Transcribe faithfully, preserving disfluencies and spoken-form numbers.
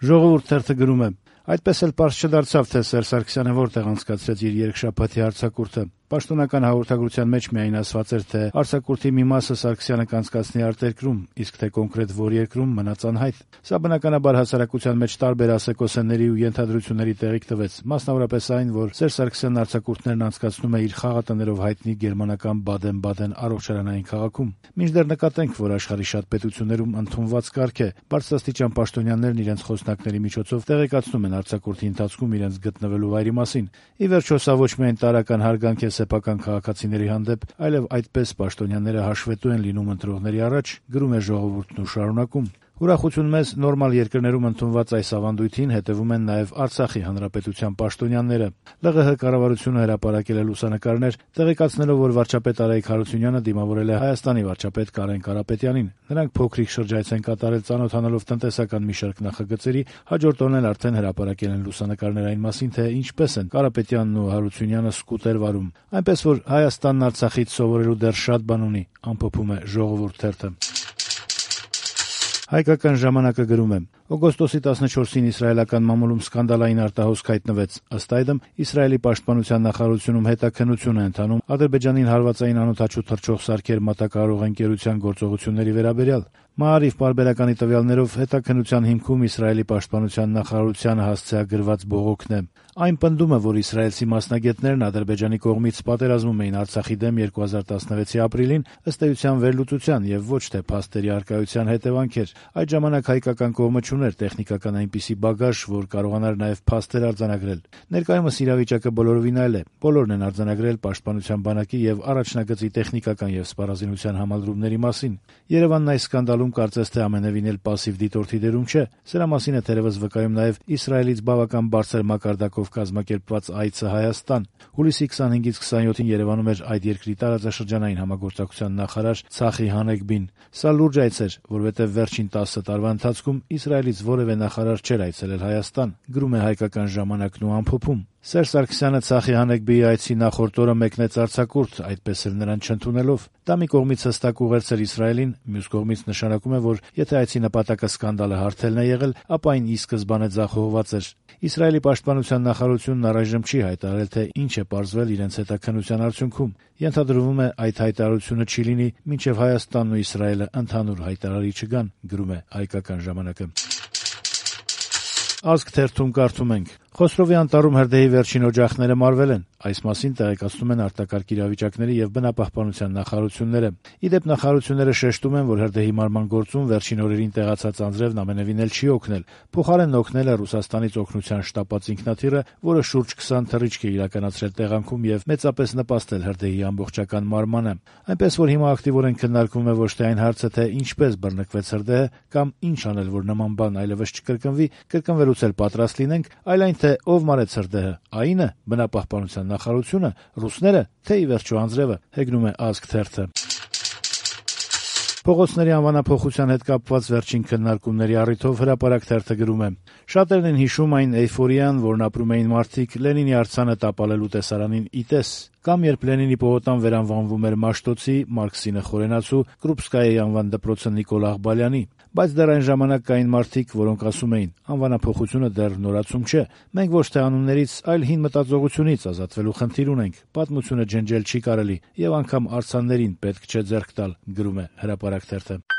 Ժողովուրդ թերթը գրում է. Այդպես էլ պարզ չդարձավ, թե Սերժ Սարգսյանը որտեղ անցկացրեց իր երկշաբաթի արձակուրդը։ Պաշտոնական հաղորդագրության մեջ միայն ասված էր, թե արձակուրդի մի մասը Սարգսյանը կանցկացնի արտերկրում, իսկ թե կոնկրետ որ երկրում մնաց անհայտ։ Սա բնականաբար հասարակության մեջ տարբեր ասեկոսեների ու ենթադրությունների տեղիք տվեց, մասնավորապես այն, որ Սերժ Սարգսյանն արձակուրդներն անցկացնում է իր խաղատներով հայտնի գերմանական Բադեն-Բադեն առողջարանային քաղաքում։ Մինչդեռ նկատենք, որ աշխարհի շատ պետություններում ընդունված կարգ է, բարձրաստիճան պաշտոնյաներն իրենց խոսնակների միջոցով տեղեկացնում են արձակուրդի ընթացքում իրենց գտնվելու վայրի մասին։ Ի վերջո, սա ոչ միայն տարրական հարգանք է սեփական քաղաքացիների հանդեպ, այլև այդպես պաշտոնյաները հաշվետու են լինում ընտրողների առաջ, գրում է Ժողովուրդն ու շարունակում. Ուրախություն մեզ նորմալ երկրներում ընդունված այս ավանդույթին հետևում են նաև Արցախի հանրապետության պաշտոնյաները։ ԼՂՀ կառավարությունը հրապարակել է լուսանկարներ, տեղեկացնելով, որ վարչապետ Արայիկ Հարությունյանը դիմավորել է Հայաստանի վարչապետ Կարեն Կարապետյանին։ Նրանք փոքրիկ շրջայց են կատարել ծանոթանալով տնտեսական մի շարք նախագծերի, հաջորդ օրն էլ արդեն հրապարակել են լուսանկարներ այն մասին, թե ինչպես են Կարապետյանն ու Հարությունյանը սկուտեր վարում։ Այնպես որ Հայաստանն Արցախից սովորելու դեռ շատ բան ունի, ամփոփում է Ժողովուրդ թերթը։ Հայկական ժամանակը գրում է. օգոստոսի տասնչորսին իսրայելական մամուլում սկանդալային արտահոսք հայտնվեց։ Ըստ այդմ, Իսրայելի պաշտպանության նախարարությունում հետաքննություն է ընթանում Ադրբեջանին հարվածային անօդաչու թռչող սարքեր մատակարարող ընկերության գործողությունների վերաբերյալ։ Մաարիվ պարբերականի տվյալներով հետաքննության հիմքում Իսրայելի պաշտպանության նախարարությանը հասցեագրված բողոքն է։ Այն պնդում է, որ իսրայելցի մասնագետներն Ադրբեջանի կողմից պատերազմում էին Արցախի դեմ երկու հազար տասնվեցի ապրիլին ըստ էության վերլուծության եւ ոչ թե փաստերի առկայության հետևանք էր։ Այդ ժամանակ հայկական կողմը չուներ տեխնիկական այնպիսի բագաժ, որ կարողանար նաեւ փաստեր արձանագրել։ Ներկայումս իրավիճակը բոլորովին այլ է։ Բոլորն են արձանագրել պաշտպանության բանակի եւ առաջնագծի տեխնիկական եւ սպառազինության համալրումների մասին։ Երևանն այս սկանդալում կարծես թե ամենևին էլ պասիվ դիտորդի դերում չէ։ Սրա մասին է թերևս վկայում նաեւ Իսրայելից բավական բարձր մակարդակով կազմակերպված այցը Հայաստան։ Հուլիսի քսանհինգից քսանյոթին Երևանում էր այդ երկրի տարածաշրջանային համագործակցության նախարար Ցախի Հանեգբին։ Սա լուրջ այց էր, որովհետև վերջին տասը տարվա ընթացքում Իսրայելից որևէ նախարար չէր այցելել Հայաստան, գրում է Հայկական ժամանակն ու ամփոփում։ Սերժ Սարգսյանը Ցախի Հանեգբիի այցի նախորդ օրը մեկնեց արձակուրդ, այդպես էլ նրան չընդունելով։ Դա մի կողմից հստակ ուղերձ էր Իսրայելին, մյուս կողմից նշանակում է, որ եթե այցի նպատակը սկանդալը հարթելն է եղել, ապա այն ի սկզբանե ձախողված էր։ Իսրայելի պաշտպանության նախարարությունն առայժմ չի հայտարարել, թե ինչ է պարզվել իրենց հետաքննության արդյունքում։ Ենթադրվում է, այդ հայտարարությունը չի լինի, մինչև Հայաստանն ու Իսրայելը ընդհանուր հայտարարի չգան, գրում է Հայկական ժամանակը։ Ազգ թերթում կարդում ենք. Խոսրովի անտառում հրդեհի վերջին օջախները մարվել են։ Այս մասին տեղեկացնում են արտակարգ իրավիճակների եւ բնապահպանության նախարարությունները։ Ի դեպ, նախարարությունները շեշտում են, որ հրդեհի մարման գործում վերջին օրերին տեղացած անձրևն ամենևին էլ չի օգնել։ Փոխարենն օգնել է Ռուսաստանից օգնության շտապած ինքնաթիռը, որը շուրջ քսան թռիչք է իրականացրել տեղանքում եւ մեծապես նպաստել հրդեհի ամբողջական մարմանը։ Այնպես որ հիմա ակտիվորեն քննարկվում է ոչ թե այն հարցը, թե ինչպես բռնկվեց հրդեհը կամ ինչ անել, որ նման բան այլևս չկրկնվի, կրկնվելուց էլ պատրաստ լինենք, այլ այն, թե ով մարեց հրդեհը, ԱԻՆ-ը, բնապահպանության նախարարությունը, ռուսները, թե ի վերջո անձրևը, հեգնում է Ազգ թերթը։ Փողոցների անվանափոխության հետ կապված վերջին քննարկումների առիթով Հրապարակ թերթը գրում է. Շատերն են հիշում այն էյֆորիան, որն ապրում էին մարդիկ Լենինի արձանը տապալելու տեսարանին ի տես, կամ երբ Լենինի պողոտան վերանվանվում էր Մաշտոցի, Մարքսինը խորենացու, Կրուպսկայայի անվան դպրոցը Նիկոլ Աղբալյանի։ Բայց դեռ այն ժամանակ կային մարդիկ, որոնք ասում էին. անվանափոխությունը դեռ նորացում չէ։ Մենք ոչ թե անուններից, այլ հին մտածողությունից ազատվելու խնդիր ունենք։ Պատմությունը ջնջել չի կարելի, եւ անգամ արձաններին պետք չէ ձեռք տալ, գրում է Հրապարակ թերթը։